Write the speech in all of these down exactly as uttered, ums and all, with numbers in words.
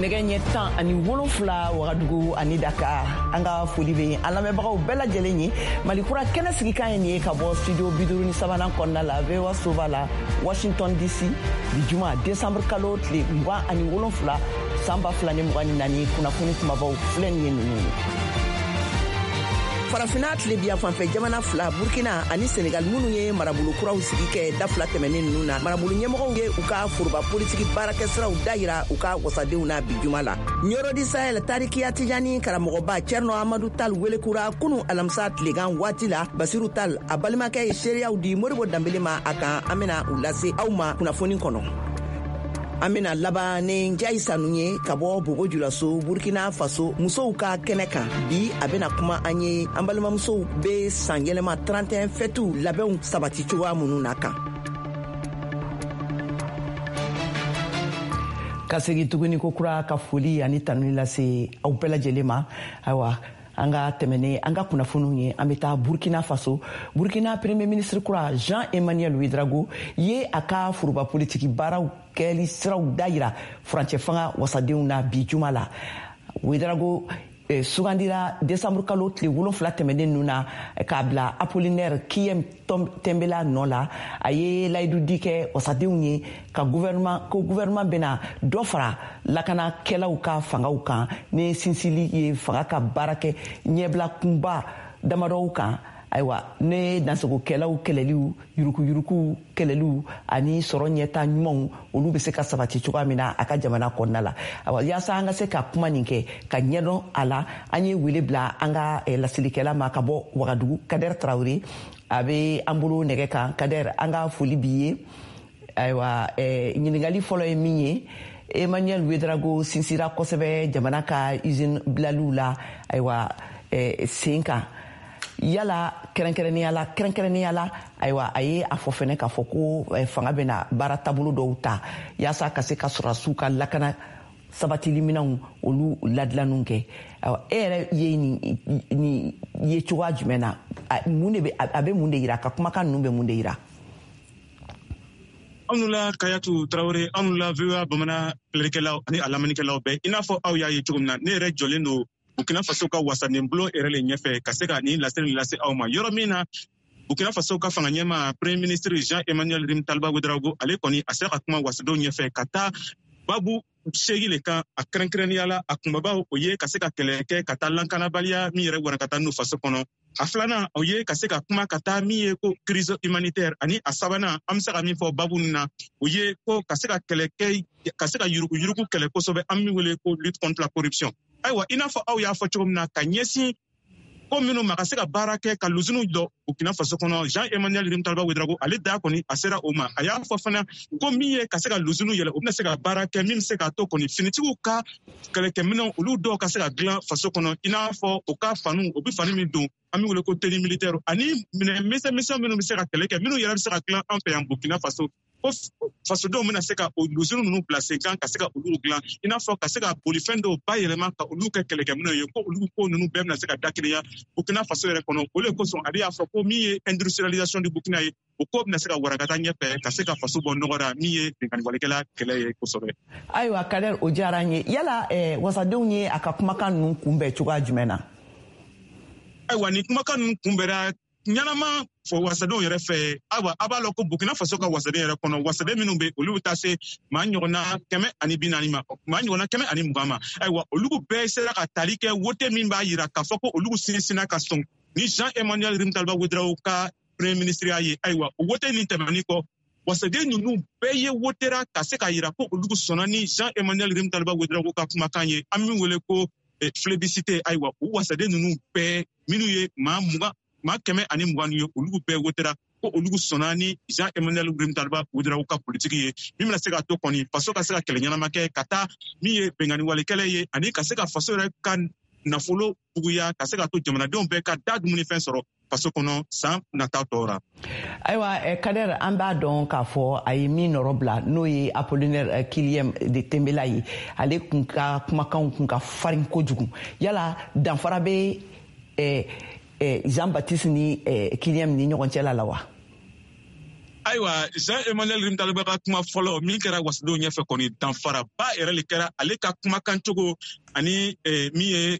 Nɛgɛ ɲɛ tan ani wolonfila Wagadugu ani Dakar, an ka foli bɛ an lamɛnbagaw bɛɛ lajɛlen ye. Malikura kɛnɛ sigikan ye nin ye ka bɔ studio bi duuru ni sabanan kɔnɔna la, V O A soba la, Washington D C. Bi juma, décembre kalo tile mugan ani wolonfila, san ba fila ni mugan ni naani, kunnafoni kumabaw filɛ nin ye ninnu ye. Farafina tilebiya fanfɛ jamana fila, Burkina ani Senegal, minnu ye marabolo kuraw sigi kɛ da fila tɛmɛnen ninnu na, marabolo ɲɛmɔgɔw ye u ka foroba politiki baarakɛsiraw dayira u ka wasadenw na bi juma la. Ɲɔrɔ du Sahel tarikiya Tijani karamɔgɔba Cɛrnɔ Amadu Tal welekura kunu alamisa tilegan waati la. Basiru Tal, a balimakɛ, ye seereyaw di Moribo Danbele ma a kan. An bena u lase aw ma kunnafoni kɔnɔ. An bena laban ni Njayi Sanu ye ka bɔ Bobo Julaso, Burkina Faso, musow ka kɛnɛ kan. Bi a bena kuma an ye an balimamusow be san yɛlɛma trente et un fɛtiw labɛnw sabati cogoya minnu na kan. Ka segi tuguni ko kura ka foli ani tanuni lase aw bɛɛ lajɛlen ma. Ayiwa, an ka tɛmɛne an ka kunnafoniw ye, an bɛ taa Burkina Faso. Burkina Premier ministre kura Jean Emmanuel Ouedraogo ye a ka foroba politiki baaraw kɛli siraw dayira furancɛ fanga wasadenw na bi juma la. Ouedraogo eh, sugandira desanburu kalo tile wolonfila tɛmɛnen ninnu na k'a bila Apollinaire Kiem Tɛnbela nɔ la. A ye layidu di kɛ wasadenw ye ka gouvernement ko gouvernement bɛna dɔ fara lakanakɛlaw ka fangaw kan ni sinsili ye fanga ka baara kɛ ɲɛbila kunba damadɔw kan. Ayiwa, ne dansagokɛlaw kɛlɛliw, yurukuyuruku kɛlɛliw ani sɔrɔ ɲɛta ɲumanw, olu bɛ se ka sabati cogoya min na a ka jamana kɔnɔna la. Ayiwa, yaasa an ka se ka kuma nin kɛ ka ɲɛdɔn a la, an ye wele bila an ka eh, lasilikɛla ma ka bɔ Wagadugu, Kader Tarawele, a bɛ an bolo nɛgɛ kan. Kader, an ka foli b'i ye. Ayiwa, eh, ɲininkali fɔlɔ ye min ye, Emmanuel Ouedraogo sinsira kosɛbɛ jamana ka usine bilaliw la, ayiwa, eh, sen kan. Yala kɛrɛnkɛrɛnnenya la kɛrɛnkɛrɛnnenya la ayiwa, a ye a fɔ fɛnɛ k'a fɔ ko eh, fanga bɛna baara taabolo dɔw ta yaasa ka se ka sɔrɔdasiw ka lakana sabatili minɛnw, olu ladilanniw kɛ. Ayiwa, e yɛrɛ ye nin nin ye cogoya jumɛn na? Mun de bɛ a bɛ mun de yira? Ka kumakan ninnu bɛ mun de yira? Anw la Kayatu Tarawele, anw la V O A Bamanan filɛlikɛlaw ani a lamɛnnikɛlaw bɛɛ, i n'a fɔ aw y'a ye cogo min na, ne yɛrɛ jɔlen don Burkina Faso ka wasaden bulon yɛrɛ le ɲɛfɛ ka se ka nin laseli lase aw ma, yɔrɔ min na Burkina Faso ka fanga ɲɛma, Premier ministre Jean Emmanuel Rimtalba Ouedraogo, ale kɔni a sera ka kuma wasadenw ɲɛfɛ ka taa babu seegi le kan. A kɛrɛnkɛrɛnnenya la, a kunbabaw, o ye ka se ka kɛlɛ kɛ ka taa lankanabaliya min yɛrɛ wara ka taa n'o faso kɔnɔ. A filanan, o ye ka se ka kuma ka taa min ye ko crise humanitaire. Ani a sabanan, an bɛ se ka min fɔ babu nin na, o ye ko ka se ka kɛlɛ kɛ ka se ka yuruguyurugu kɛlɛ kosɛbɛ, an min wele ko lutte contre la corruption. Ayiwa, i n'a fɔ aw y'a fɔ cogo min na, ka ɲɛsin ko minnu ma ka se ka baara kɛ ka luziniw jɔ Burkina Faso kɔnɔ, Jean Emmanuel Rimtalba Ouedraogo, ale da kɔni a sera o ma. A y'a fɔ fana ko min ye ka se ka luziniw yɛlɛ, o bɛna se ka baara kɛ min bɛ se k'a to kɔni finitigiw ka kɛlɛkɛminɛw, olu dɔw ka se ka dilan faso kɔnɔ, i n'a fɔ u ka faniw, u bɛ fani min don, an bɛ wele ko tenue militaire, ani minɛn misɛn misɛn minnu bɛ se ka kɛlɛ kɛ, minnu yɛrɛ bɛ se ka dilan an fɛ yan Burkina Faso, ko fasodenw bɛna se ka o luzini ninnu bila sen kan ka se ka olu dilan, i n'a fɔ ka se ka bolifɛn dɔw bayɛlɛma ka olu kɛ kɛlɛkɛminɛw ye, ko olu ko ninnu bɛɛ bɛna se ka dakelenya Burkina Faso yɛrɛ kɔnɔ. O de kosɔn ale y'a fɔ ko min ye industrialisation du Burkina ye, o ko bɛna se ka warakata ɲɛfɛ ka se ka faso bɔ nɔgɔ la, min ye binkanniwalekɛla kɛlɛ ye kosɛbɛ. Ayiwa Kader, o diyara an ye. Yala eh, wasadenw ye a ka kumakan ninnu kunbɛn cogoya jumɛn na? Ayiwa, nin kumakan ninnu kunbɛra ɲɛnama fɔ wasadenw yɛrɛ fɛ. Ayiwa, a b'a lɔn ko Burkina Faso ka wasaden yɛrɛ kɔnɔ, wasaden minnu bɛ, olu bɛ taa se maa ɲɔgɔnna kɛmɛ ani bi naani ma, maa ɲɔgɔnna kɛmɛ ani mugan ma. Ayiwa, olu bɛɛ sera ka tali kɛ wote min b'a yira k'a fɔ ko olu sinsinna ka sɔn ni Jean Emmanuel Rimtalba Ouedraogo ka Premier ministre ye. Ayiwa, o wote nin tɛmɛnen kɔ, wasaden ninnu bɛɛ ye wotera ka se k'a yira ko olu sɔnna ni Jean Emmanuel Rimtalba Ouedraogo ka kumakan ye, an min wele ko plébiscite. Ayiwa, o wasaden ninnu bɛɛ minnu ye maa mugan, maa kɛmɛ ani mugan ye, olu bɛɛ wotera ko olu sɔnna ni Jean Emmanuel Rimtalba Ouedraogo ka politiki ye, min bɛna se k'a to kɔni faso ka se ka kɛlɛ ɲɛnama kɛ ka taa min ye bɛnkanni wale kɛlɛ ye, ani ka se ka faso yɛrɛ ka nafolo buguya, ka se ka to jamanadenw bɛɛ ka da dumunifɛn sɔrɔ faso kɔnɔ san nata tɔw ra. Ayiwa Kader, an b'a dɔn k'a fɔ a ye min nɔrɔ bila, n'o ye Apollinaire Kiliem de Tembela ye, ale kun ka kumakanw kun ka farin kojugu. Yala danfara bɛ eh, eh, Jean Baptiste ni eh, Kiliem ni ɲɔgɔn cɛ la la wa? Ayiwa. Ayiwa, Jean Emmanuel Rimtalba ka kuma fɔlɔ min kɛra wasadenw ɲɛfɛ kɔni, danfaraba yɛrɛ le kɛra ale ka kumakan cogo ani min ye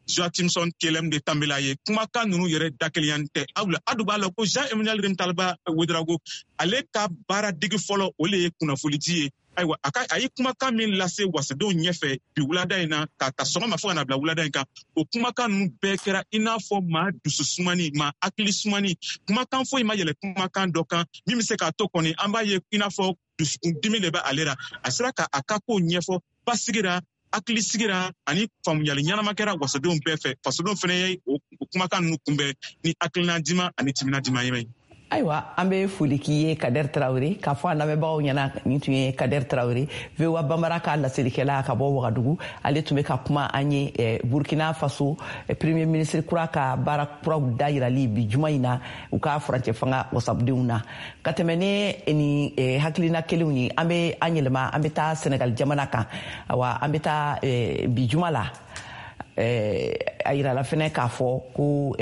Joachimson Kyelem de Tambela ye. Kumakan ninnu yɛrɛ dakelenya tɛ. Awla a dun b'a la ko Jean Emmanuel Rimtalba Ouedraogo, ale ka baara degi fɔlɔ o le ye kunnafonidi ye. Ayiwa, a ka a ye kumakan min lase wasadenw ɲɛfɛ bi wulada in na, k'a ta sɔgɔma fo ka na bila wulada in kan, o kumakan ninnu bɛɛ kɛra i n'a fɔ maa dusu sumani, maa hakili sumani. Kumakan foyi ma yɛlɛ kumakan dɔ kan min bɛ se k'a to kɔni an b'a ye i n'a fɔ dusukundimi de bɛ ale la. A sera ka a ka kow ɲɛfɔ basigira, hakili sigira ani faamuyali ɲɛnama kɛra wasadenw bɛɛ fɛ. Fasodenw fana ye o kumakan ninnu kunbɛn ni hakilina diman ani timinadiman ye. Ayiwa, an bɛ foli k'i ye, Kader Traoré, k'a fɔ an lamɛnbagaw ɲɛna nin tun ye Kader Traoré, V O A Bambara ka laselikɛla ka bɔ Wagadugu. Ale tun bɛ ka kuma an ye Burkina Faso premier ministre kura ka baara kuraw dayirali bi juma in na u ka furancɛ fanga wasadenw na. Ka tɛmɛ ni nin hakilina kelenw ye, an bɛ an yɛlɛma, an bɛ taa Senegal jamana kan. Awa, an bɛ taa bi juma la, a yirala fɛnɛ k'a fɔ ko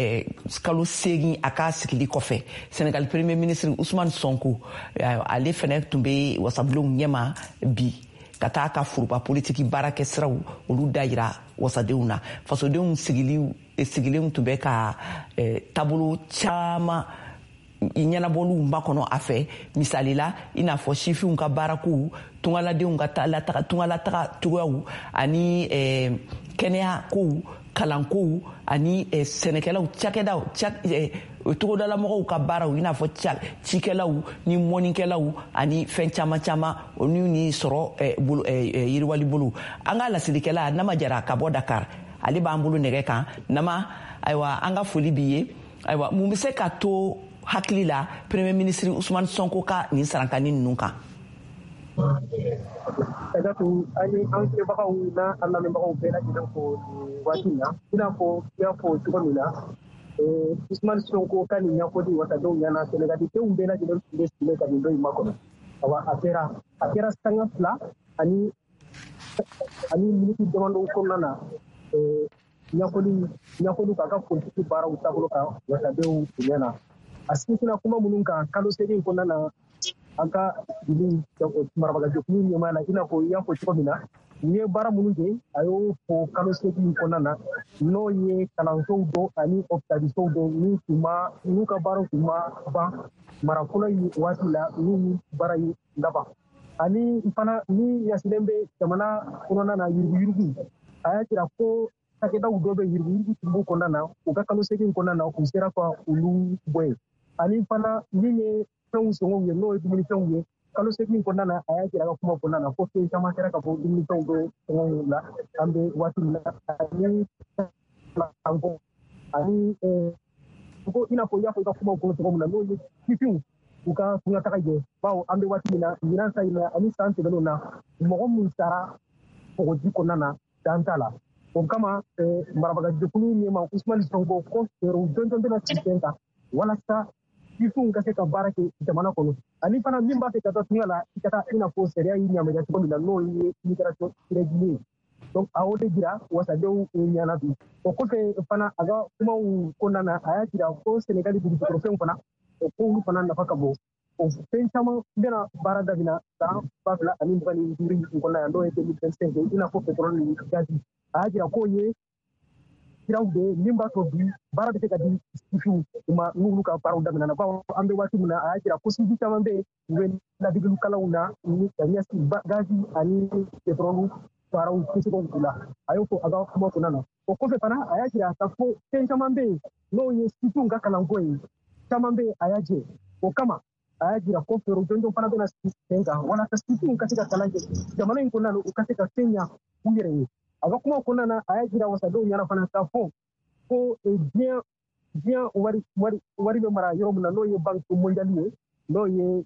kalo seegin a ka sigili kɔfɛ, Senegal premier ministre Ousmane Sonko, ale fɛnɛ tun bɛ wasabulonw ɲɛma bi ka taa ka foroba politiki baarakɛ siraw olu dayira wasadenw na. Fasodenw sigilenw tun bɛ ka taabolo caman ɲɛnabɔliw makɔnɔ a fɛ, misali la i n'a fɔ sifinw ka baarakow, tungaladenw ka tungalataga cogoyaw ani kɛnɛya kow, kalankow ani sɛnɛkɛlaw cakɛdaw, togodalamɔgɔw ka baaraw, i n'a fɔ cikɛlaw ni mɔnikɛlaw ani fɛn caman caman olu ni sɔrɔ yiriwali bolo. An ka laselikɛla Nama Jara ka bɔ Dakar, ale b'an bolo nɛgɛ kan. Nama, ayiwa, an ka foli b'i ye. Ayiwa, mun bɛ se ka to hakili la premier ministre Ousmane Sonko ka nin sarankani ninnu kan? Kadatu, an ye an filɛbagaw n'a an lamɛnbagaw bɛɛ lajɛlen fo nin waati in na. I n'a fɔ i y'a fɔ cogo min na, Ousmane Sonko ka nin ɲɛfɔli wasadenw ɲɛna, Senegaldenw bɛɛ lajɛlen tun bɛ sigilen ka nin don in makɔnɔ. Awa, a kɛra a kɛra sanga fila ani ani miniti damadɔ kɔnɔna na, ɲɛfɔli ɲɛfɔli k'a ka politiki baaraw taabolo kan wasadenw ɲɛna. A sinsinna kuma minnu kan kalo seegin kɔnɔna na, an ka dugu marabagajɛkulu ɲɛmaa la, i n'a fɔ i y'a fɔ cogo min na, u ye baara minnu kɛ, a y'o fɔ kalo seegin kɔnɔna na, n'o ye kalansow dɔ ani hôpitalsow dɔ min tun ma n'u ka baaraw tun ma ban mara fɔlɔ in waati la, n'u baara in laban. Ani fana ni yasilen bɛ jamana kɔnɔna na yuruguyurugu, a y'a jira ko cakɛdaw dɔ bɛ yuruguyurugu tun b'u kɔnɔna na, u ka kalo seegin kɔnɔna na, u sera ka olu bɔ yen. Ani fana min ye fɛnw sɔngɔw ye, n'o ye dumunifɛnw ye, kalo seegin kɔnɔna na, a y'a jira a ka kuma kɔnɔna na ko fɛn caman kɛra ka bɔ dumunifɛnw bɛ sɔngɔw la an bɛ waati min na, ani ani ko i n'a fɔ i y'a fɔ i ka kumaw kɔnɔ cogo min na, n'o ye sifinw u ka tunkataga ye, bawo an bɛ waati min na ɲinan ta in na ani san tɛmɛnenw na, mɔgɔ min sara kɔgɔji kɔnɔna na dan t'a la. O kama marabagajɛkulu ɲɛmaa Ousmane Sonko ko fɛɛrɛw jɔnjɔn bɛna sigi sen kan walasa sifinw ka se ka baara kɛ jamana kɔnɔ. Ani fana min b'a fɛ ka taa tunga la, i ka taa i n'a fɔ sariya y'i yamaruya cogo min na, n'o ye immigration irrégulier ye. Donc a y'o de jira wasadenw ɲɛna bi. O kɔfɛ fana, a ka kumaw kɔnɔna na, a y'a jira ko Senegali dugujukɔrɔfɛnw fana, o kow fana nafa ka bon. O fɛn caman bɛna baara daminɛ san ba fila ani mugan ni duuru in kɔnɔna yan, n'o ye deux mille vingt-cinq ye, i n'a fɔ pétrole ni gazi. A y'a jira k'o ye siraw de ye min b'a to bi baara bɛ se ka di sifinw ma n'olu ka baaraw daminɛna. Bawo an bɛ waati min na, a y'a jira ko sifin caman bɛ yen, u bɛ ladegeliw na ni ka ɲɛsin gazi ani pétrole baaraw kɛcogow la. A y'o fɔ a ka kuma kɔnɔna na. O kɔfɛ fana, a y'a jira k'a fɔ fɛn caman bɛ yen n'o ye sifinw ka kalanko ye, caman bɛ yen a y'a jɛ. O kama a y'a jira ko fɛɛrɛw jɔnjɔn fana bɛna sigi sen kan walasa sifinw ka se ka kalan kɛ jamana in kɔnɔna na, u ka se ka fɛn ɲɛ u yɛrɛ ye. A ka kuma kɔnɔna na, a y'a jira wasadenw ɲɛna fana k'a fɔ ko diɲɛ diɲɛ wari wari wari bɛ mara yɔrɔ min na, n'o ye banque mondiale ye, n'o ye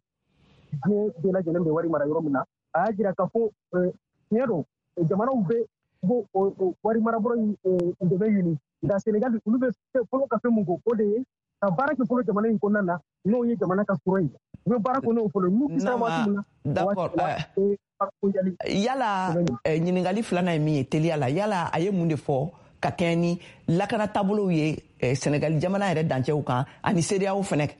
diɲɛ bɛɛ lajɛlen bɛ wari mara yɔrɔ min na, a y'a jira k'a fɔ tiɲɛ don, jamanaw bɛ b'o wari marabolo in dɛmɛ ɲini, nka Senegali olu bɛ fɔlɔ ka fɛn mun ko, o de ye ka baara kɛ fɔlɔ jamana in kɔnɔna na, n'o ye jamana ka sɔrɔ ye. U bɛ baara kɛ n'o fɔlɔ n'u sera waati min na. D'accord. Yala ɲininkali filanan ye min ye teliya la, yala a ye mun de fɔ ka kɛɲɛ ni lakana taabolow ye Senegali jamana yɛrɛ dancɛw kan ani CEDEAO fɛnɛ?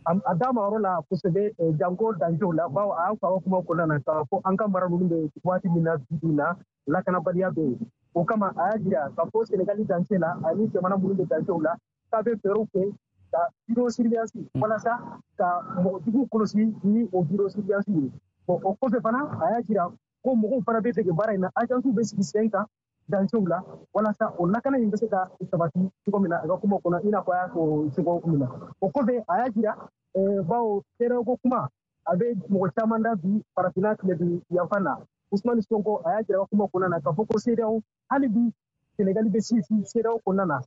A d'a ma yɔrɔ la kosɛbɛ, janko dancɛw la, bawo a y'a fɔ a ka kuma kɔnɔna na k'a fɔ an ka mara ninnu bɛ waati min na bi bi in na, lakanabaliya bɛ yen. O kama a y'a jira k'a fɔ Senegali dancɛ la ani jamana minnu bɛ dancɛw la, k'a bɛ fɛɛrɛw kɛ ka vidéo surveillance walasa ka mɔgɔ jugu kɔlɔsi ni o vidéo surveillance ye. Bon, o kɔfɛ fana, a y'a jira ko mɔgɔw fana bɛ dege baara in na, agence bɛ sigi sen kan dancɛw la walasa o lakana in bɛ se ka sabati cogo min na a ka kuma kɔnɔ, i n'a fɔ a y'a fɔ cogo min na. O kɔfɛ, a y'a jira, bawo CEDEAO kuma a bɛ mɔgɔ caman da bi farafinna tilebin yanfan na. Ousmane Sonko, a y'a jira a ka kuma kɔnɔna na k'a fɔ ko CEDEAO, hali bi Senegali bɛ sinsin CEDEAO kɔnɔna na.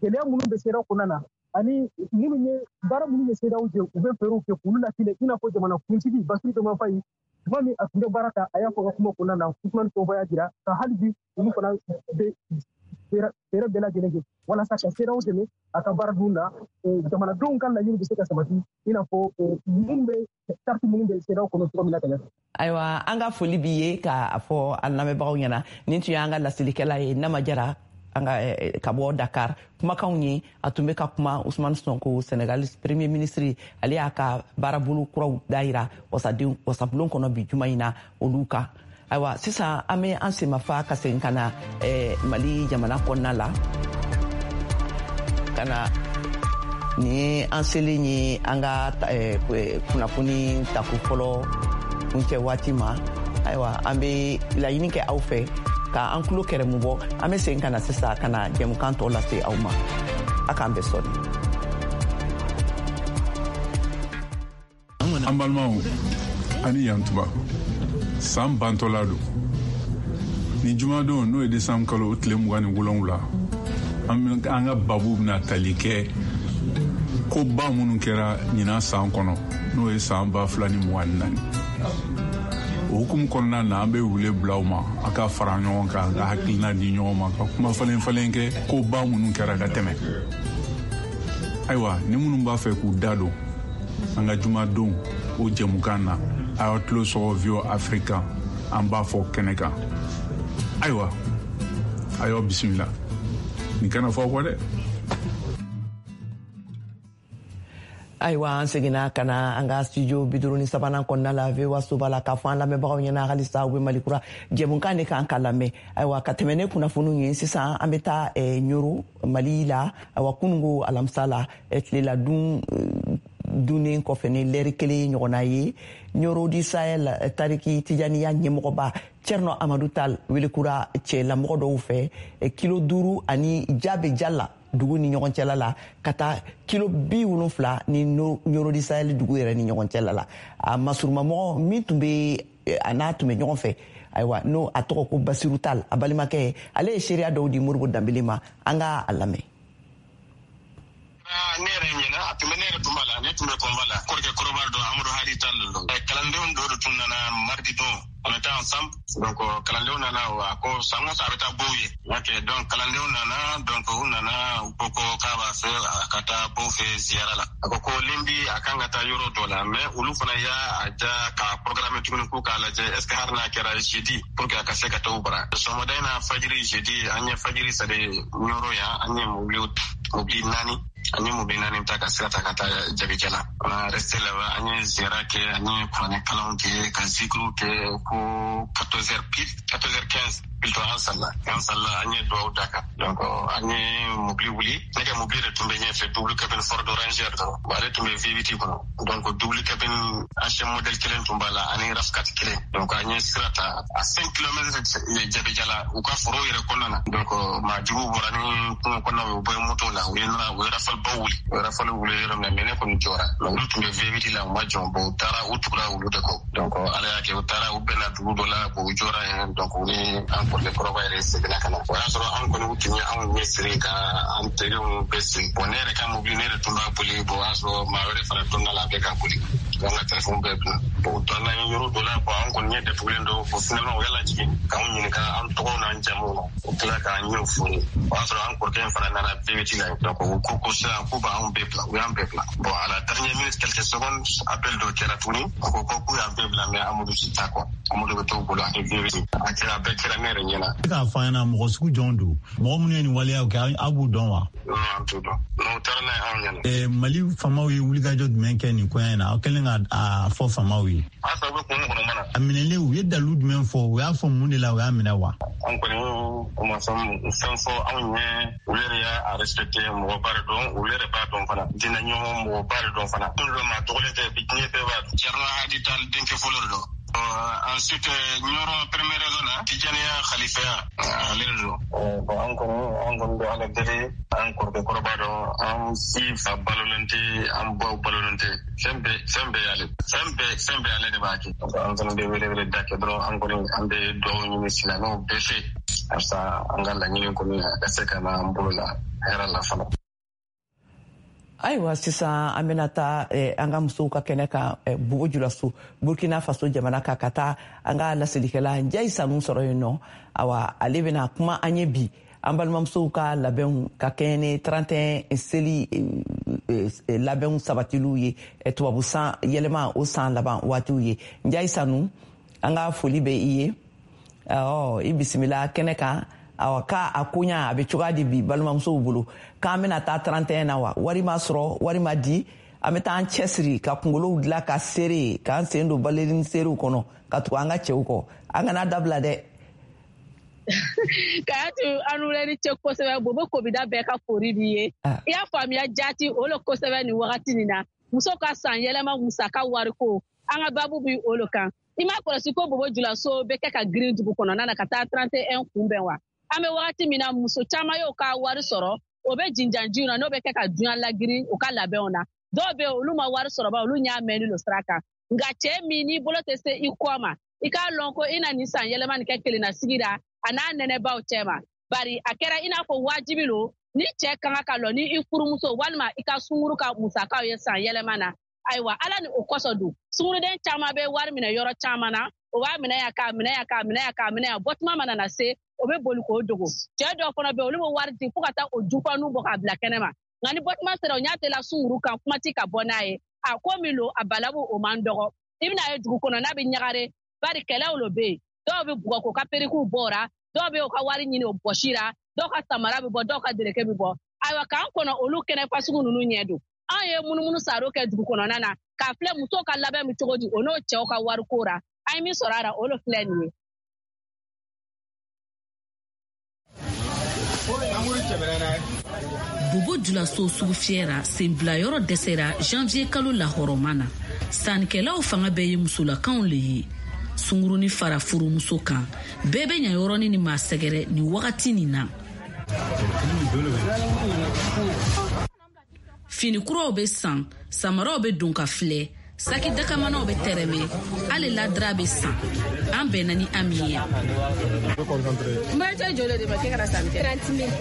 Gɛlɛya minnu bɛ CEDEAO kɔnɔna na ani minnu ye baara minnu ye CEDEAO jɛ, u bɛ fɛɛrɛw kɛ k'olu latinɛ, i n'a fɔ jamana kuntigi Bassirou Diomaye Faye, tuma min a tun bɛ baara ta, a y'a fɔ a ka kuma kɔnɔna na. Ousmane Sonko y'a jira ka hali bi olu fana bɛ fɛɛrɛ bɛɛ lajɛlen kɛ walasa ka CEDEAO dɛmɛ a ka baara dun na, jamanadenw ka laɲini bɛ se ka sabati, i n'a fɔ minnu bɛ charte minnu bɛ CEDEAO kɔnɔ cogo min na ka ɲɛ. Ayiwa, an ka foli b'i ye k'a fɔ an lamɛnbagaw ɲɛna, nin tun y'an ka laselikɛla ye Nama Jara an ka ka bɔ Dakar. Kumakanw ye a tun bɛ ka kuma Ousmane Sonko, Senegal premier ministre, ale y'a ka baarabolo kuraw dayira wasaden wasabulon kɔnɔ bi juma in na olu kan. Ayiwa, sisan an bɛ an senmafa ka segin ka na eh, Mali jamana kɔnɔna la ka na nin ye an selen ye an ka eh, kunnafoni tako fɔlɔ kuncɛ waati ma. Ayiwa, an bɛ laɲini kɛ aw fɛ ka an tulo kɛrɛmu bɔ. An bɛ segin ka na sisan ka na jɛmukan tɔ lase aw ma. A k'an bɛn sɔɔni. An balimaw, ani yantuba, san bantɔla don ni jumadon, n'o ye desanburu kalo tile mugan ni wolonwula. An ka babu bɛna tali kɛ koba minnu kɛra ɲinan san kɔnɔ, n'o ye san ba fila ni mugan ni naani. O hukumu kɔnɔna na, an bɛ wele bila aw ma, a ka fara ɲɔgɔn kan ka hakilina di ɲɔgɔn ma, ka kuma falen falen kɛ koba minnu kɛra ka tɛmɛ. Ayiwa, ni minnu b'a fɛ k'u da don an ka jumadon o jɛmukan na, a y'aw tulo sɔgɔ V O A Afrique, an b'a fɔ kɛnɛ kan. Ayiwa, a y'aw bisimila, nin kana fɔ aw kɔ dɛ. Ayiwa, an seginna ka na an ka studio bi duuru ni sabanan kɔnɔna la, V O A soba la, k'a fɔ an lamɛnbagaw ɲɛna halisa u bɛ Mali Kura jɛmukan de kan ka lamɛn. Ayiwa, ka tɛmɛ ne kunnafoniw ye, sisan an bɛ taa Ɲoro, Mali la. Ayiwa, kununko alamisa la, tilela dun dunnen kɔfɛ ni lɛri kelen ɲɔgɔnna ye, Ɲoro du Sahel tariki Tijaniya ɲɛmɔgɔba Cɛrnɔ Amadu Tal welekura cɛlamɔgɔ dɔw fɛ kilo duuru ani Jabe Jala dugu ni ɲɔgɔn cɛla la, ka taa kilo bi wolonfila ni Ɲoro du Sahel dugu yɛrɛ ni ɲɔgɔn cɛla la. A masurumamɔgɔ min tun bɛ a n'a tun bɛ ɲɔgɔn fɛ, ayiwa, n'o a tɔgɔ ko Basiru Tal, a balimakɛ, ale ye seereya dɔw di Moribo Danbele ma. An ka a lamɛn. Ne yɛrɛ ɲɛna, a tun bɛ ne yɛrɛ tun b'a la, ne tun bɛ convoi la. Kɔrɔkɛ kɔrɔba dɔ, Amadu Hadi Tal don. Kalandenw dɔw de tun nana mardi don, on était ensemble. Donc kalandenw nana, a ko san o san a bɛ taa bow ye. Ok, donc kalandenw nana, donc u nana, u ko ko k'a b'a fɛ a ka taa bow fɛ ziyara la. A ko ko lundi a kan ka taa yɔrɔ dɔ la, mais olu fana y'a ja ka programme tuguni k'u k'a lajɛ est ce que hali n'a kɛra jeudi, pour que a ka se ka taa u bara. Sɔgɔmada in na fajiri, jeudi, an ye fajiri sali Ɲɔrɔ yan, an ye mobili mobili naani an ye mobili naani ta ka sira ta ka taa Jabijala. On a resté là-bas, an ye ziyara kɛ, an ye kuranɛ kalanw kɛ, ka zikiriw kɛ ko quatorze heures pile, quatorze heures quinze plutôt, an salla an salla an ye duwawu da kan. Donc an ye mobili wuli, ne ka mobili de tun bɛ ɲɛfɛ, double cabine Ford Ranger dɔrɔn, ale tun bɛ V huit kɔnɔ. Donc double cabine ancien modèle kelen tun b'a la ani RAV quatre kelen. Donc an ye sira ta à cinq kilomètres Jabijala, u ka foro yɛrɛ kɔnɔna na. Donc maa juguw bɔra ni kungo kɔnɔnaw ye, u bɔ moto la, u ye u ye rafale baw wuli, u ye rafale wuli yɔrɔ min na, mais ne kɔni jɔra. Mais olu tun bɛ V huit la, u ma jɔ. Bon, u taara, u tugura olu de kɔ. Donc Ala y'a kɛ, u taara, u bɛnna dugu dɔ la, u jɔra yen. Donc u ni an kɔrɔkɛ kɔrɔba yɛrɛ seginna ka na. O y'a sɔrɔ an kɔni, u tun ye anw ɲɛ siri ka an teriw bɛɛ siri. Bon, ne yɛrɛ ka mobili, ne yɛrɛ tun b'a boli. Bon, o y'a sɔrɔ maa wɛrɛ fana donna la, a bɛ ka boli. An ka téléphone bɛɛ bila. Bon, u taara n'an ye yɔrɔ dɔ la quoi, an kɔni ɲɛ datugulen don. Bon, finalement u y'a lajigin k'anw ɲininka an tɔgɔw n'an jamuw na. U tila k'an ɲɛw foni. O y'a sɔrɔ an kɔrɔkɛ in fana nana V huit la. Donc u ko ko sisan k'u b'anw bɛɛ bila, u y'an bɛɛ bila. Bon, à la dernière minute, quelques secondes, appel dɔ kɛra tuguni. U ko ko k'u y'an bɛɛ bila, mais Amadu si t'a quoi. Amadu bɛ t'u bolo ani V huit. A kɛra, a bɛɛ kɛra ne yɛrɛ ɲɛna. E k'a fɔ an ɲɛna, mɔgɔ sugu jɔn don? Mɔgɔ minnu ye nin waleyaw kɛ, aw b'u dɔn wa? Non, an t'u dɔn. Non, u taara n'a ye anw ɲɛna. Eh, Mali faamaw ye wulikajɔ jumɛn kɛ nin koɲɛ in na, aw kɛlen ka a fɔ faamaw ye? A sɔrɔ u bɛ kun kɔnɔ mana. A minɛlen, u ye dalu jumɛn fɔ? U y'a fɔ mun de la u y'a minɛ wa? An kɔni, u ma fɛn fɛn fɔ anw ɲɛ. U yɛrɛ y'a respecté, mɔgɔba de dɔn, olu yɛrɛ b'a dɔn fana, diinɛ ɲɔgɔn mɔgɔba de dɔn fana. Kun dɔ maa tɔgɔlen tɛ bi, diɲɛ bɛɛ b'a dɔn. Thierno Hadi Tall denkɛ fɔlɔ de don. Ensuite, Nioro première raison na, Tijaniya khalifaya, ale de don. Bon, an kɔni an kɔni bɛ Ala deli, an kɔrɔkɛ kɔrɔba dɔn, an si fa balolen tɛ, an baw balolen tɛ, fɛn bɛɛ fɛn bɛɛ y'ale, fɛn bɛɛ fɛn bɛɛ ale de b'a kɛ. Donc an fana bɛ wele wele da kɛ dɔrɔn, an kɔni an bɛ dugawu ɲini silamɛw bɛɛ fɛ halisa, an ka laɲini kɔni a ka se ka na an bolo la hɛrɛ la fana. Ayiwa, sisan an bɛna taa eh, an ka musow ka kɛnɛ kan, eh, Bobo Julaso, Burkina Faso jamana kan, ka taa an ka laselikɛla Njayi Sanu sɔrɔ yen nɔ. Awa, ale bɛna kuma an ye bi an balimamusow ka labɛnw ka kɛɲɛ ni trente et un seli eh, labɛnw sabatiliw ye, tubabu san yɛlɛma o san laban waatiw ye. Njayi Sanu, an ka foli bɛ i ye. Ɔ, i bisimila kɛnɛ kan. Awa, k'a a koɲa a bɛ cogoya di bi balimamusow bolo, k'an bɛna taa trente et un na wa? Wari ma sɔrɔ, wari ma di, an bɛ taa an cɛsiri ka kunkolow dilan ka seere k'an sen don balerin seerew kɔnɔ ka tugu an ka cɛw kɔ. An kana dabila dɛ. Kayatu, an wulɛ ni ce kosɛbɛ. Bobo kobida bɛɛ ka fori b'i ye. I y'a faamuya jaati o le kosɛbɛ. Nin wagati nin na, muso ka san yɛlɛma musaka wariko, an ka babu bi o le kan. I m'a kɔlɔsi ko Bobo Julaso bɛ kɛ ka girin dugu kɔnɔna na ka taa trente et un kunbɛn wa? An bɛ wagati min na, muso caman y'o ka wari sɔrɔ, o bɛ jinjanjiw na, n'o bɛ kɛ ka duɲa lagiri u ka labɛnw na. Dɔw bɛ yen, olu ma wari sɔrɔ ba, olu ɲa mɛnni lo sira kan. Nka cɛɛ min n'i bolo tɛ se i kɔ ma, i k'a lɔn ko i na nin san yɛlɛma nin kɛ kelenna sigi la a n'a nɛnɛbaw cɛ ma, bari a kɛra i n'a fɔ wajibi lo ni cɛɛ ka kan ka lɔ ni i furumuso walima i ka sunkuru ka musakaw ye san yɛlɛma na. Ayiwa, Ala ni o kɔsɔn dun, sunguruden caman bɛ wari minɛ yɔrɔ caman na, o b'a minɛ yan, k'a minɛ yan, k'a minɛ yan, k'a minɛ yan, bɔtuma mana na se, o bɛ boli k'o dogo. Cɛɛ dɔw fana bɛ, olu bɛ wari di fo ka taa o jufanu bɔ k'a bila kɛnɛ ma. Nka ni bɔtuma sera, o ɲa tɛla sunkuru kan kuma ti ka bɔ n'a ye. A ko min lo, a balabu o man dɔgɔ. I bɛna ye dugu kɔnɔ n'a bɛ ɲagare, bari kɛlɛw lo bɛ yen. Dɔw bɛ bugɔ k'o ka perikiw bɔ, dɔw bɛ u ka wari ɲini o bɔsira, dɔw ka samara bɛ bɔ, dɔw ka dereke bɛ bɔ. Ayiwa, k'an kɔnɔ olu kɛnɛ fasugu ninnu ɲɛ don. Anw ye munumunu saro kɛ dugu kɔnɔna na k'a filɛ musow ka labɛn bɛ cogo di, o n'o cɛw ka wariko ra. An ye min sɔrɔ a la, o le filɛ nin ye. Bobo Julaso sugu fiyɛra, senbilayɔrɔ dɛsɛra janvier kalo lahɔrɔma na. Sannikɛlaw fanga bɛɛ ye musolakanw le ye. Sunguruni fara furumuso kan, bɛɛ bɛ ɲa yɔrɔnin ni maa sɛgɛrɛ nin wagati nin na. Fini kuraw bɛ san, samaraw bɛ don ka filɛ, saki dakamanaw bɛ tɛrɛmɛ, hali ladira bɛ san. An bɛnna ni Ami ye. N bɛ cɛ joli de ma k'e kana sanni kɛ? trente mille.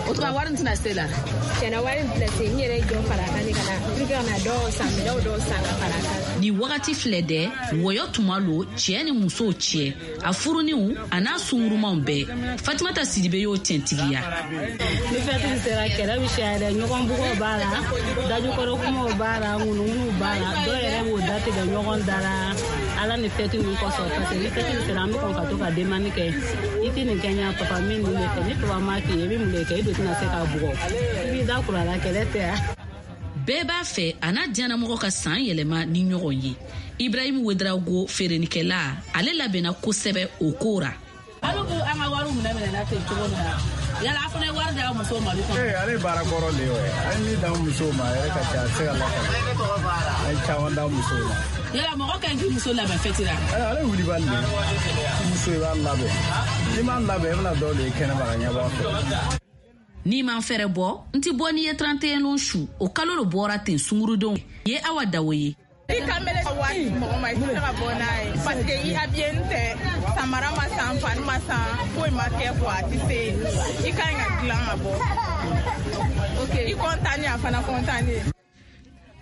O tuma wari in tɛna se la? Tiɲɛna, wari in tɛna se. N yɛrɛ ye jɔ fara a kan de ka na pour que ka na dɔw san, minɛnw dɔw san ka fara a kan. Nin wagati filɛ dɛ, wɔyɔ tuma lo cɛɛ ni musow cɛ, a furuniw a n'a sungurumaw bɛɛ. Fatumata Sidibe y'o tiɲɛtigiya. Ni fɛti sera, kɛlɛ bɛ siya dɛ. Ɲɔgɔn bugɔ b'a la, dajukɔrɔ kumaw b'a la, ŋunuŋunuw b'a la, dɔw yɛrɛ b'o datigɛ ɲɔgɔn da la Ala ni fɛti ninnu kosɔn, parce que ni fɛti sera, an bɛ kɔn ka to ka demande kɛ: i tɛ nin kɛ ɲa papa, min nin de fɛ. Ni papa m'a k'i ye, i bɛ mun de kɛ? I dun tɛna se k'a bugɔ, i b'i da kuru a la, kɛlɛ tɛ yan. Bɛɛ b'a fɛ a n'a diyanamɔgɔ ka san yɛlɛma ni ɲɔgɔn ye. Ibrahimu Wedrago, feerenikɛla, ale labɛnna kosɛbɛ o ko ra. Alu b'u an ka wariw minɛ minɛ na ten cogo min na, yala a fana ye wari d'aw musow ma du kɔnɔ? Ee, ale ye baara kɔrɔ de ye o ye. An ye min d'an musow ma, a yɛrɛ ka ca, a tɛ se ka lakale. An ye caman d'an musow ma. Yala mɔgɔ ka ɲi k'i muso labɛn fɛti la? Ale ye wulibali de ye. Muso, i b'a labɛn, n'i m'a labɛn, i bɛna dɔw de ye kɛnɛma ka ɲɛbɔ a fɛ. N'i man fɛrɛ bɔ, n ti bɔ n'i ye trente et un lon su o kalo lo bɔra ten. Sungurudenw ye Awa Dawo ye. I kamele ka wari mɔgɔ ma, i tɛ se ka bɔ n'a ye parce que i habillé tɛ, samara ma san, fani ma san, foyi ma kɛ quoi, a tɛ se. I ka ɲi ka dilan ka bɔ. I content, a fana content.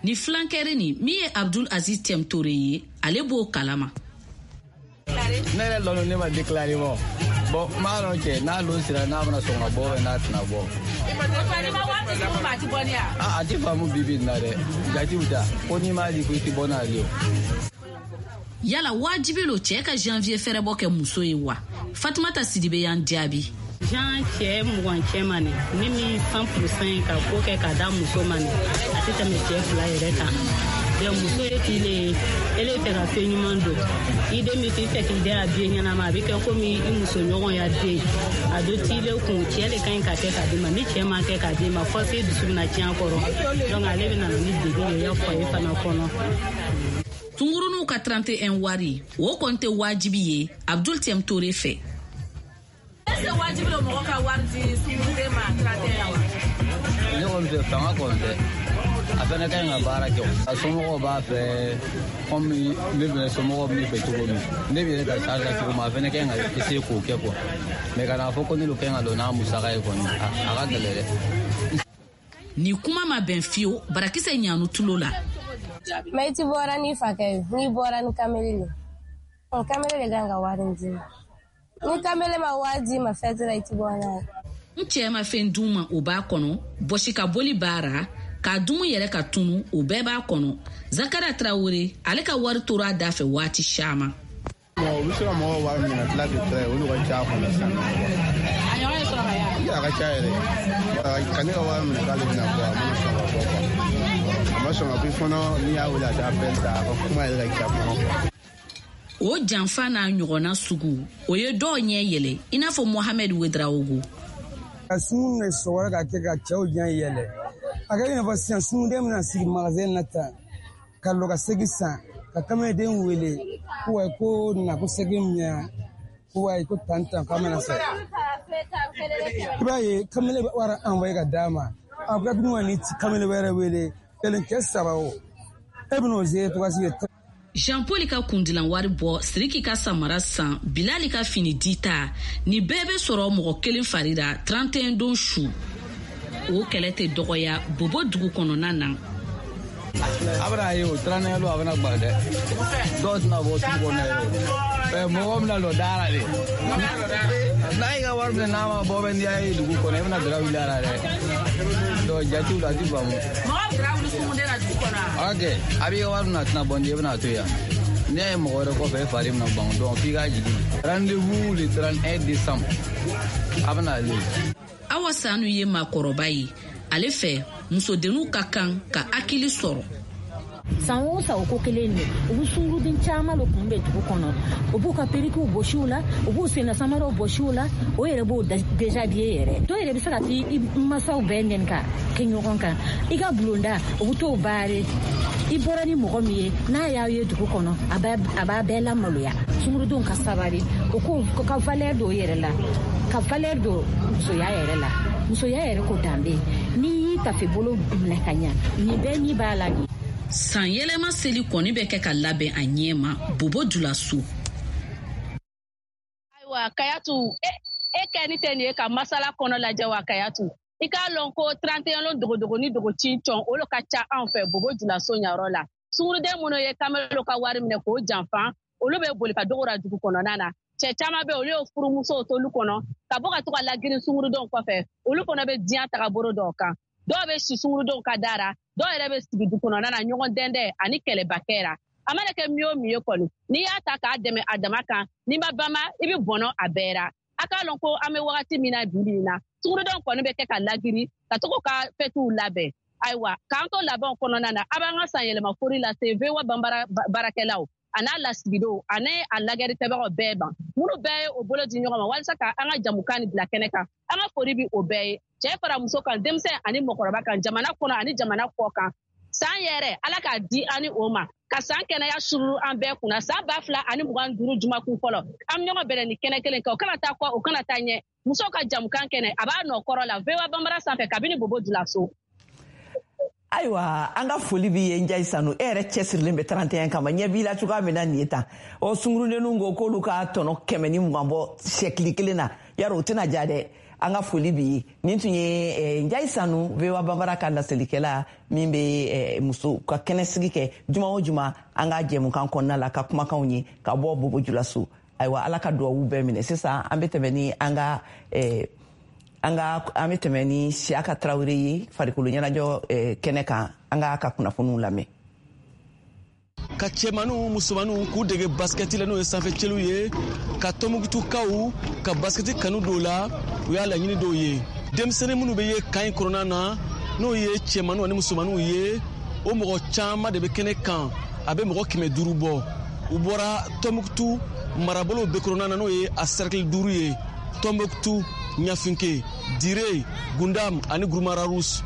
Ni filankɛri nin min ye Abdul Aziz Tɛmtore ye, ale b'o kalama. Ne yɛrɛ lɔn ne ma déclaré bɔ. Bon, n b'a dɔn cɛ n'a lon sera n'a bɛna sɔn ka bɔ bɛ n'a tɛna bɔ. A a ti faamu bi bi in na dɛ. Jatiw ta ko n'i m'a di ko i ti bɔ n'ale ye. Yala wajibi lo cɛ ka janvier fɛrɛbɔ kɛ muso ye wa? Fatumata Sidibe y'an jaabi. Jean cɛ mugan cɛ ma nin ni min cent pour cent ka ko kɛ ka da muso ma nin a tɛ tɛmɛ cɛ fila yɛrɛ kan. Donc muso ye tile ye, ele fɛ ka fɛn ɲuman don i den bɛ fɛ k'i den habillé ɲɛnama, a bɛ kɛ komi i musoɲɔgɔn ya den a do tile kun. Cɛ de ka ɲi ka kɛ k'a d'i ma, ni cɛ ma kɛ k'a d'i ma force dusu bɛna tiɲɛ a kɔrɔ. Donc ale bɛ na ni degun ye i ya foyer fana kɔnɔ. Tunguruninw ka trente et un wari o kɔni tɛ wajibi ye Abdul Tɛmtore fɛ. Est-ce que wajibi lo mɔgɔ ka wari di sunguruden ma trente et un wa? Ne kɔni fɛ fanga kɔni tɛ. A fana ka ɲi ka baara kɛ. A somɔgɔw b'a fɛ komi ne fana somɔgɔw bɛ ne fɛ cogo min, ne bɛ yɛrɛ ka charge la cogo min, a fana ka ɲi ka essayer k'o kɛ quoi. Mais ka n'a fɔ ko ne de ka ɲi ka don n'a musaka ye kɔni, a ka gɛlɛn dɛ. Nin kuma ma bɛn fiyewu barakisɛ ɲanu tulo la. Mais i ti bɔra n'i fakɛ ye, n'i bɔra ni kamele ye, kamele de kan ka wari d'i ma. Ni kamele ma wari d'i ma fɛti la, i ti bɔ n'a ye. N cɛ ma fɛn d'u ma o b'a kɔnɔ, bɔsi ka boli b'a ra, k'a dumu yɛrɛ ka tunu o bɛɛ b'a kɔnɔ. Zakara Tarawele ale ka wari tora a da fɛ waati caman. U bɛ se ka mɔgɔw wari minɛ tila tɛ tila ye, olu ka ca kɔnɔ sisan. A ɲɔgɔn ye sɔrɔ ka ya. A ka ca yɛrɛ. Ka ne ka wari minɛ k'ale bɛna bɔ, a mana sɔn ka bɔ quoi. A ma sɔn ka bɔ fana, n'i y'a wele a t'a appel ta, a ka kuma yɛrɛ ka ca kɔnɔ. O janfa n'a ɲɔgɔnna sugu o ye dɔw ɲɛ yɛlɛ i n'a fɔ Mohamed Ouedraogo. Ka sun de sɔgɔra ka kɛ ka cɛw ɲɛ yɛlɛ. A kɛ i n'a fɔ sisan sunguden bɛna sigi magasin na tan ka lɔ ka segi san ka kameleden wele ko wa ko na ko segi minɛ ko wa ko tan tan k'a mana san. I b'a ye kamele bɛ wari envoyé ka d'a ma, a ko tuguni ka ni kamele wɛrɛ wele kelen kɛ saba o e bɛn'o se tɔgɔ sigi. Jean Paul ka kundilan wari bɔ, Siriki ka samara san, Bilali ka fini dita, ni bɛɛ bɛ sɔrɔ mɔgɔ kelen fari la trente et un don su. O kɛlɛ tɛ dɔgɔya Bobo dugu kɔnɔna na. A bɛna ye o trente et un don a bɛna gbara dɛ. Dɔw tɛna bɔ sugu kɔnɔ yɛrɛ. Mɔgɔ bɛna lɔ da la de. N'a y'i ka wari minɛ n'a ma bɔ bɛ n'i y'a ye dugu kɔnɔ i bɛna dara wuli a la dɛ. Donc jatiw la a ti faamu. Mɔgɔ bɛ dara wuli sunguden na dugu kɔnɔ wa? Ok, a b'i ka wari minɛ a tɛna bɔ n'i ye i bɛna to yan. N'i y'a ye mɔgɔ wɛrɛ kɔfɛ e fari bɛna ban donc f'i k'a jigin. Rendez-vous le trente et un décembre. A bɛna ale. Awa Sanu ye maakɔrɔba ye. Ale fɛ musodenninw ka kan ka hakili sɔrɔ. San o san o ko kelen de, u bɛ sunguruden caman de kun bɛ dugu kɔnɔ, u b'u ka perikiw bɔsi u la, u b'u senna samaraw bɔsi u la, o yɛrɛ b'o déshabiller yɛrɛ. Dɔw yɛrɛ bɛ se ka t'i masaw bɛɛ nɛni ka kɛ ɲɔgɔn kan. I ka bulonda u bɛ t'o baare. I bɔra ni mɔgɔ min ye n'a y'aw ye dugu kɔnɔ a b'a bɛɛ lamaloya. Sungurudenw ka sabali, o ko ka valeur don yɛrɛ la, ka valeur don musoya yɛrɛ la. Musoya yɛrɛ ko danbe, n'i y'i tafe bolo minɛ ka ɲa, nin bɛɛ n'i b'a la nin. San yɛlɛma seli kɔni bɛ kɛ ka labɛn a ɲɛ ma Bobo Dioulasso. Ayiwa Kayatu, e e kɛ ni tɛ nin ye ka masala kɔnɔ lajɛ wa Kayatu? I k'a lɔn ko trente et un lon dogodogo ni dogo cin cɔn o lo ka ca anw fɛ Bobo Dioulasso ɲayɔrɔ la. Sunguruden minnu ye kamelo ka wari minɛ k'o janfa, olu bɛ boli ka dogora dugu kɔnɔna na. Cɛ caman bɛ olu ye furumusow t'olu kɔnɔ ka bɔ ka to ka lagirin sungurudenw kɔfɛ, olu fana bɛ diɲɛ tagabolo dɔw kan. Dɔw bɛ si sungurudenw ka da ra, dɔw yɛrɛ bɛ sigi du kɔnɔna na ɲɔgɔn dɛndɛ ani kɛlɛba kɛ ra. A mana kɛ min o min ye kɔni, n'i y'a ta k'a dɛmɛ a dama kan, n'i ma bama i bɛ bɔnɔ a bɛɛ ra. A k'a lɔn ko an bɛ wagati min na bi bi in na, sungurudenw kɔni bɛ kɛ ka lagiri ka to ka fɛtiw labɛn. Ayiwa k'an to labɛnw kɔnɔna na, a b'an ka san yɛlɛma fori lase V O A banbara baarakɛlaw a n'a lasigidenw ani a lagɛrikɛbagaw bɛɛ ma, minnu bɛɛ ye o bolo di ɲɔgɔn ma walasa ka an ka jamukan nin bila kɛnɛ kan. An ka fori bi o bɛɛ ye, cɛ fara muso kan, denmisɛn ani mɔgɔkɔrɔba kan, jamana kɔnɔ ani jamana kɔ kan. San yɛrɛ Ala k'a di an ni o ma, ka san kɛnɛya sururu an bɛɛ kunna. San ba fila ani mugan duuru jumakun fɔlɔ, an bɛ ɲɔgɔn bɛrɛ ni kɛnɛ kelen kan, o kana taa kɔ o kana taa ɲɛ. Musow ka jamukan kɛnɛ a b'a nɔ kɔrɔ la V O A Banbara sanfɛ kabini Bobo Dioulasso. Ayiwa an ka foli b'i ye Njayi Sanu, e yɛrɛ cɛsirilen bɛ trente et un kama, ɲɛ b'i la cogoya min na nin ye tan. Ɔ sungurudenninw ko k'olu ka tɔnɔ kɛmɛ ni mugan bɔ sɛkili kelen na, yarɔ o tɛna ja dɛ. An ka foli b'i ye. Nin tun ye Njayi Sanu, V O A Bambara ka laselikɛla min bɛ muso ka kɛnɛsigi kɛ juma o juma an ka jɛmukan kɔnɔna la, ka kumakanw ye ka bɔ Bobo Julaso. Ayiwa, Ala ka duwawu bɛɛ minɛ. Sisan an bɛ tɛmɛ ni an ka an ka an bɛ tɛmɛ ni Siyaka Tarawele ye farikolo ɲɛnajɛ kɛnɛ kan. An k'a ka kunnafoniw lamɛn. Ka cɛmaninw musomaninw k'u dege basikɛti la, n'o ye sanfɛcɛliw ye, ka Tɔnbukutukaw ka basikɛti kanu dɔw la, u y'a laɲini dɔw ye. Denmisɛnnin minnu bɛ ye kan in kɔnɔna na, n'o ye cɛmaninw ani musomaninw ye, o mɔgɔ caman de bɛ kɛnɛ kan, a bɛ mɔgɔ kɛmɛ duuru bɔ. U bɔra Tɔnbukutu marabolow bɛɛ kɔnɔna na, n'o ye a cercle duuru ye: Tɔnbukutu, Ɲafinke, Dire, Gundam ani Gurumararus.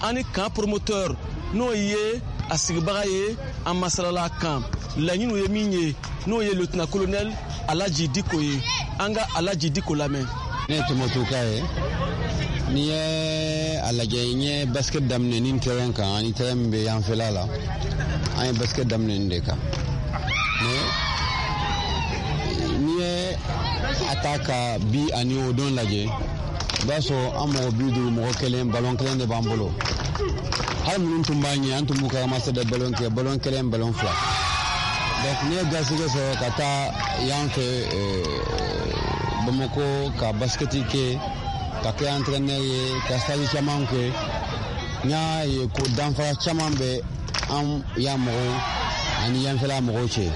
Ani camp promoteur, n'o ye a sigibaga ye, an masalala kan laɲiniw ye min ye, n'o ye lieutenant colonel Alaji Diko ye. An ka Alaji Diko lamɛn. Ne ye Tɔnbukutuka ye. N'i ye a lajɛ, n ye basket daminɛ nin terrain kan ani terrain min bɛ yanfɛla la, an ye basket daminɛ nin de kan. Mais n'i ye a ta ka bi ani o don lajɛ, i b'a sɔrɔ an mɔgɔ bi duuru, mɔgɔ kelen, balon kelen de b'an bolo. Hali minnu tun b'an ɲɛ, an tun b'u ka ramasser de balon kɛ, balon kelen, balon fila. Donc n'i ye garisɛgɛ sɔrɔ ka taa yan fɛ Bamakɔ ka basikɛti kɛ, ka kɛ entraîneur ye, ka stage caman kɛ, n y'a ye ko danfara caman bɛ an yan mɔgɔw ani yanfɛla mɔgɔw cɛ,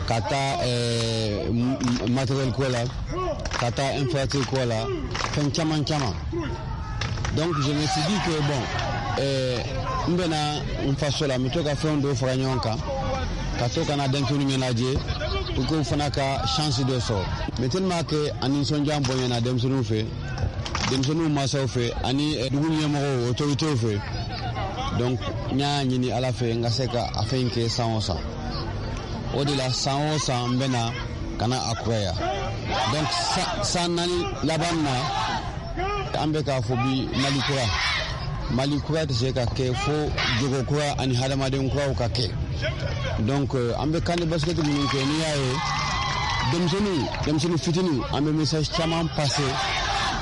ka taa matériel ko la, ka taa infrastructure ko la, fɛn caman caman. Donc je me suis dit que bon, n bɛna n faso la, n bɛ to ka fɛn dɔw fara ɲɔgɔn kan, ka to ka na denmisɛnninw ɲɛnajɛ pour que u fana ka chance dɔ sɔrɔ. Mais tellement que a nisɔndiya bonyana denmisɛnninw fɛ, denmisɛnninw mansaw fɛ ani dugu ɲɛmɔgɔw, autorités fɛ. Donc n y'a ɲini Ala fɛ n ka se ka a fɛn kɛ san o san. O de la san o san n bɛna ka na a kuraya. Donc san naani laban na, an bɛ k'a fɔ bi Mali kura. Mali kura tɛ se ka kɛ fo jogo kura ani hadamaden kuraw ka kɛ. Donc an bɛ kan de basket minnu kɛ, n'i y'a ye denmisɛnninw, denmisɛnnin fitininw, an bɛ message caman passer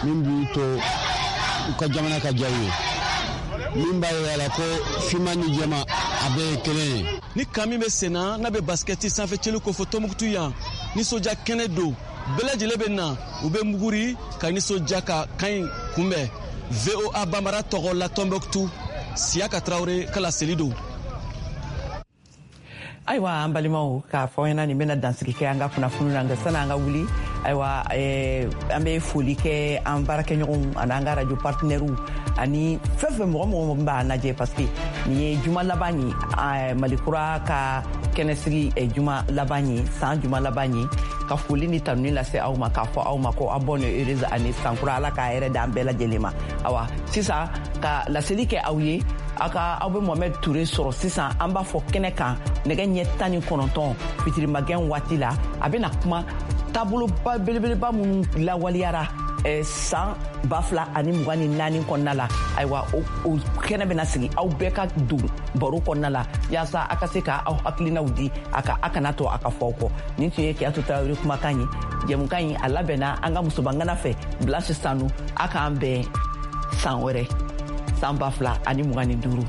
min b'u to u ka jamana ka diya u ye, min b'a yira la ko finman ni jɛman a bɛɛ ye kelen ye. Ni kan min bɛ sen na, n'a bɛ basikɛti sanfɛcɛli ko fɔ Tɔnbukutu yan, nisɔndiya kɛnɛ don, bɛɛ lajɛlen bɛ na, u bɛ muguri ka nisɔndiya ka kan in kunbɛn. V O A Bambara tɔgɔ la Tɔnbukutu, Siyaka Tarawele ka laseli don. Ayiwa, an balimaw, k'a fɔ ɲɛna nin bɛna dansigi kɛ an ka kunnafoniw na. Nka sani an ka wuli, ayiwa, an bɛ foli kɛ an baarakɛɲɔgɔnw ani an ka radio partenaires ani fɛn fɛn mɔgɔ mɔgɔ min b'a lajɛ, parce que nin ye juma laban ye, Mali kura ka kɛnɛsigi juma laban ye, san juma laban ye. Ka foli ni tanuni lase aw ma, k'a fɔ aw ma ko aw bonne heureuse année, san kura Ala k'a hɛrɛ d'an bɛɛ lajɛlen ma. Awa, sisan ka laseli kɛ aw ye, aw ka aw bɛ Mohamed Touré sɔrɔ sisan, an b'a fɔ kɛnɛ kan nɛgɛ ɲɛ tan ni kɔnɔntɔn fitirimagɛn waati la. A bɛna kuma taaboloba belebeleba minnu lawaleyara san ba fila ani mugan ni naani kɔnɔna la. Ayiwa, o kɛnɛ bɛna sigi, aw bɛɛ ka don baro kɔnɔna la yaasa a ka se ka aw hakilinaw di, a ka a kana to a ka fɔ aw kɔ. Nin tun ye Kiyatu Tarawele kumakan ye. Jɛmukan in a labɛnna an ka musobangana fɛ, Blanche Sanu. A k'an bɛn san wɛrɛ, san ba fila ani mugan ni duuru.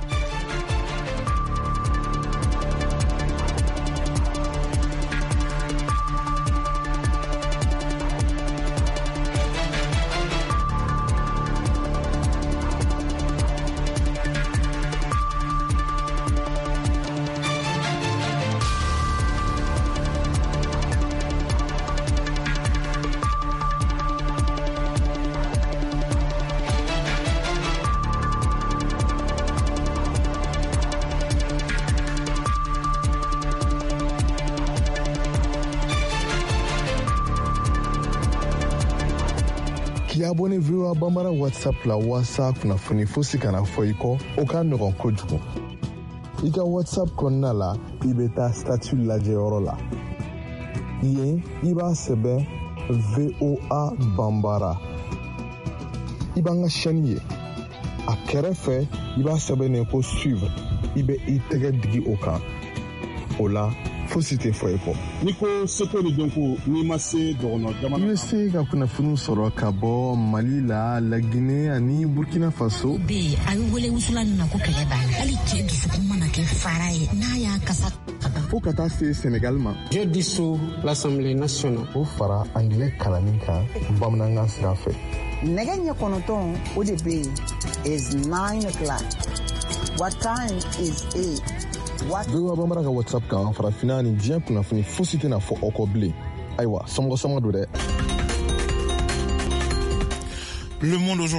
K'i abonné V O A Bambara WhatsApp la walasa kunnafoni fosi kana fɔ i kɔ, o ka nɔgɔn kojugu. I ka WhatsApp kɔnɔna la, i bɛ taa statut lajɛyɔrɔ la. Yen, i b'a sɛbɛn V O A Bambara. I b'an ka chaîne ye. A kɛrɛfɛ, i b'a sɛbɛn ko suivre. I bɛ i tɛgɛ digi o kan. O la, Fosi tɛ fɔ i kɔ. N'i ko seko ni dɔnko, n'i ma se dɔgɔnɔ jamana I bɛ se ka kunnafoniw sɔrɔ ka bɔ Mali la, Laginɛ ani Burkina Faso. Bɛ yen, a bɛ wele wusulan nin na ko kɛlɛ b'a la. Hali cɛ dusukun mana kɛ fara ye, n'a y'a kasa ka ban. Fo ka taa se Senegal ma. Je dissous l'Assemblée nationale. O fara angilɛ kalanni kan bamanankan sira fɛ. Nɛgɛ ɲɛ kɔnɔntɔn, o de bɛ yen, is nine o'clock. What time is it? What V O A Bambara ka WhatsApp kan, farafinna ni diɲɛ kunnafoni fosi tɛna fɔ aw kɔ bilen. Ayiwa, somɔgɔ sama don dɛ. Le Monde aujourd'hui.